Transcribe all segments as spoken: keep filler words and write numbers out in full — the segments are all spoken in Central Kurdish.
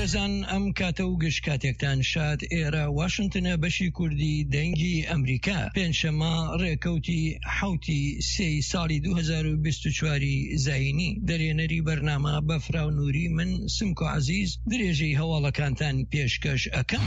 بەڕێزان، ئەم کاتە و گشت کاتێکتان شاد. ئێرە واشنتنە، بەشی کوردی دەنگی ئەمریکا. پێنجشەممە ڕێکەوتی حوتی سێی ساڵی دوو هەزار و بیست و چوار زایینی. دەرێنەری بەرنامە بەفراو نووری، من سمکۆ عەزیز درێژەی هەواڵەکانتان پێشکەش ئەەکەم.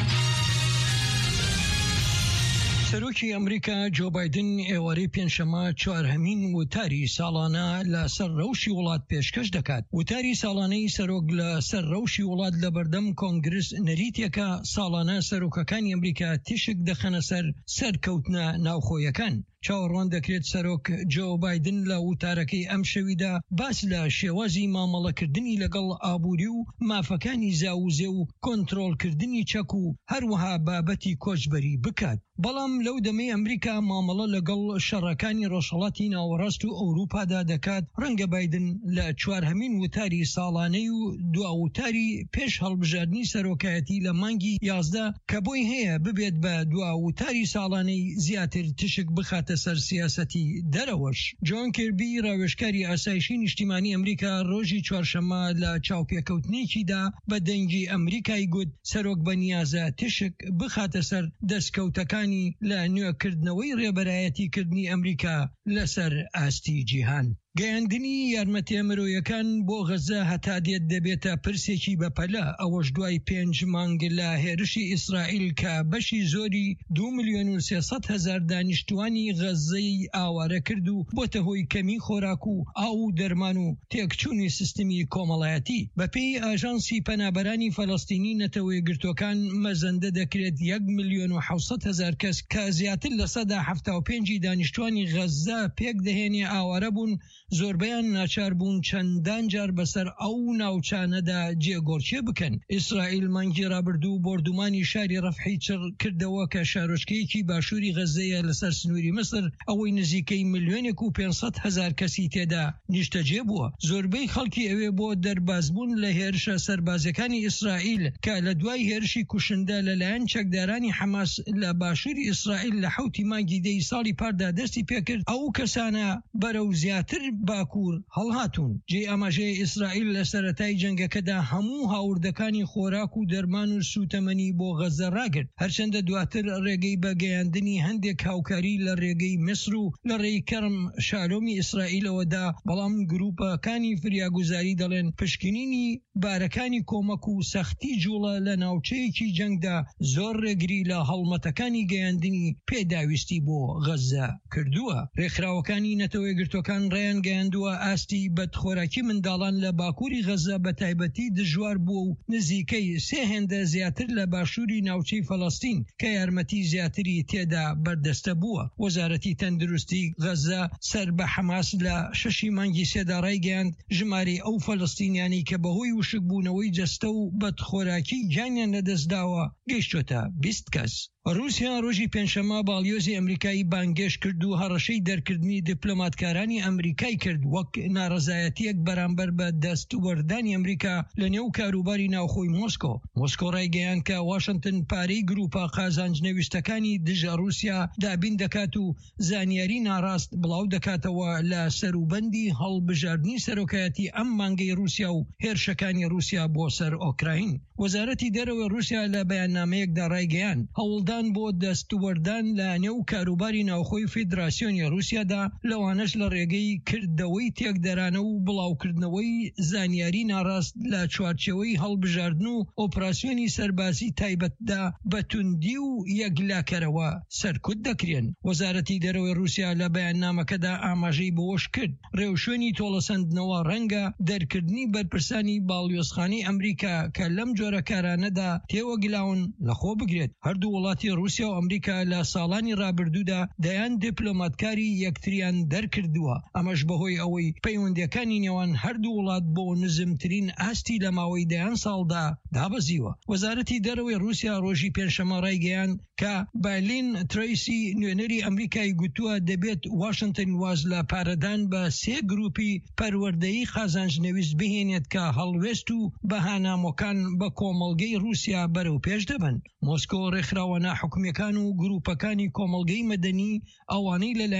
سەرۆکی ئەمریکا جۆ بایدن ئێوارەی پێنجشەممە چوارهەمین وتاری ساڵانە لەسەر ڕەوشی وڵات پێشکەش دەکات. وتاری ساڵانەی سەرۆک لەسەر ڕەوشی وڵات لە بەردەم کۆنگرس نەریتێکە، ساڵانە سەرۆکەکانی ئەمریکا تیشک دەخەنە سەر سەرکەوتنە ناوخۆیەکان. چاوەڕوان دەکرێت سەرۆک جۆ بایدن لە وتارەکەی ئەم شەویدا باس لە شێوازی مامەڵەکردنی لەگەڵ ئابووری و مافەکانی زاوزێ و کۆنترۆڵکردنی چەک و هەروەها بابەتی کۆچبەری بکات. بەڵام لەو دەمەی ئەمریکا مامەڵە لەگەڵ شەڕەکانی ڕۆژهەڵاتی ناوەڕاست و ئەوروپادا دەکات، ڕەنگە بایدن لە چوارهەمین وتاری ساڵانەی و دوا وتاری پێش هەڵبژاردنی سەرۆکایەتی لە مانگی یازدە کە بۆی هەیە ببێت بە دوا وتاری ساڵانەی، زیاتر تیشک بخاتە سەر سیاسەتی دەرەوەش. جۆن کیربی، ڕاوێژکاری ئاسایشی نیشتیمانی ئەمریکا، ڕۆژی چوارشەممە لە چاوپێکەوتنێکیدا بە دەنگی ئەمریکای گوت سەرۆک بەنیازە تیشک بخاتە سەر دەستکەوتەکانی لە نوێکردنەوەی ڕێبەرایەتیکردنی ئەمریکا لەسەر ئاستی جیهان. گەیاندنی یارمەتیە مرۆیەکان بۆ غەزە هەتا دێت دەبێتە پرسێکی بەپەلە، ئەوەش دوای پێنج مانگ لە هێرشی ئیسرائیل کە بەشی زۆری دو ملیۆن و سێ سەد هەزار دانیشتوانی غەزەی ئاوارە کرد و بۆتە هۆی کەمی خۆراک و ئاو و دەرمان و تێکچوونی سیستمی کۆمەڵایەتی. بەپێی ئاژانسی پەنابەرانی فەلەستینی نەتەوە یەکگرتووەکان، مەزەندە دەکرێت یەک ملیۆن و حەوت سەد هەزار کەس کە زیاتر لە سەدا حەفتا و پێنجی دانیشتوانی غەزە پێک دەهێنێ ئاوارە بوون. زۆربەیان ناچار بوون چەندان جار بەسەر ئەو ناوچانەدا جێگۆڕکێ بکەن. ئیسرائیل مانگی ڕابردوو بۆردومانی شاری ڕەفحی چڕ کردەوە کە شارۆچکەیەکی باشووری غەزەیە لەسەر سنووری میسر، ئەوەی نزیکەی ملیۆنێک و پێنج سەد هەزار کەسی تێدا نیشتەجێ بووە. زۆربەی خەڵکی ئەوێ بۆ دەربازبوون لە هێرشە سەربازیەکانی ئیسرائیل کە لە دوای هێرشی کوشندە لەلایەن چەکدارانی حەماس لە باشووری ئیسرائیل لە حوتی مانگی دەی ساڵی پاردا دەستی پێکرد، ئەو کەسانە بەرەو زیاتر باکوور هەڵهاتوون. جێ ئاماژەیە ئیسرائیل لە سەرەتای جەنگەکەدا هەموو هاوردەکانی خۆراک و دەرمان و سوتەمەنی بۆ غەزە ڕاگرت، هەرچەندە دواتر ڕێگەی بە گەیاندنی هەندێک هاوکاری لە ڕێگەی میسر و لە ڕێی کەرم شالۆمی ئیسرائیلەوەدا. بەڵام گروپەکانی فریاگوزاری دەڵێن پشکنینی بارەکانی کۆمەک و سەختی جوڵە لە ناوچەیەکی جەنگدا زۆر ڕێگری لە هەڵمەتەکانی گەیاندنی پێداویستی بۆ غەزە کردووە. ڕێکخراوەکانی نەتەوە یەکگرتووەکان ڕایانگەیاندووە ئاستی بەدخۆراکی منداڵان لە باکووری غەزە بە تایبەتی دژوار بووە و نزیکەی سێ هێندە زیاتر لە باشووری ناوچەی فەلەستین کە یارمەتی زیاتری تێدا بەردەستە بووە. وەزارەتی تەندروستی غەزە سەر بە حەماس لە شەشی مانگی سێدا ڕایگەیاند ژمارەی ئەو فەلەستینیانی کە بەهۆی وشکبوونەوەی جەستە و بەدخۆراکی گیانیان لەدەستداوە گەیشتۆتە بیست کەس. رووسیا ڕۆژی پێنجشەممە باڵیۆزی ئەمریکایی بانگێشت کرد و هەڕەشەی دەرکردنی دیپلۆماتکارانی ئەمریکای کرد وەک ناڕەزایەتیەک بەرامبەر بە دەست وەردانی ئەمریکا لە نێو کاروباری ناوخۆی مۆسکۆ. مۆسکۆ ڕایگەیاند کە واشنگتن پارەی گروپە قازانج نەویستەکانی دژە رووسیا دابین دەکات و زانیاری ناڕاست بڵاو دەکاتەوە لە سەروبەندی هەڵبژاردنی سەرۆکایەتی ئەم مانگەی رووسیا و هێرشەکانی رووسیا بۆ سەر ئۆکراین. وەزارەتی دەرەوەی رووسیا لە بەیاننامەیەکدا ڕایگەیاند هەوڵدان بۆ دەستوەردان لە نێو کاروباری ناوخۆی فیدراسیۆنی رووسیادا، لەوانەش لە ڕێگەی کردەوەی تێکدەرانە و بڵاوکردنەوەی زانیاری ناڕاست لە چوارچێوەی هەڵبژاردن و ئۆپراسیۆنی سەربازی تایبەتدا، بە توندی و یەکلاکەرەوە سەرکوت دەکرێن. وەزارەتی دەرەوەی رووسیا لە بەیاننامەکەدا ئاماژەی بەوەش کرد ڕێوشوێنی تۆڵەسەندنەوە ڕەنگە دەرکردنی بەرپرسانی باڵیۆزخانەی ئەمریکا کە لەم جۆرە کارانەدا تێوەگلاون لەخۆ بگرێت. هەردوو وڵاتی رووسیا و ئەمریکا لە ساڵانی ڕابردوودا دەیان دیپلۆماتکاری یەکتریان دەرکردووە، ئەمەش بەهۆی ئەوەی پەیوەندیەکانی نێوان هەردوو وڵات بۆ نزمترین ئاستی لە ماوەی دەیان ساڵدا دابەزیوە. وەزارەتی دەرەوەی رووسیا ڕۆژی پێنجشەممە ڕایگەیاند کە بە لین تریسی نوێنەری ئەمریکای گوتووە دەبێت واشنگتن واز لە پارەدان بە سێ گروپی پەروەردەیی قازانج نەویست بهێنێت کە هەڵوێست و بەهانامۆکان بە کۆمەڵگەی رووسیا بەرەو پێش دەبن. مۆسکۆ ڕێکخراوە ناحکومیەکان و گروپەکانی کۆمەڵگەی مەدەنی ئەوانەی لەلایەن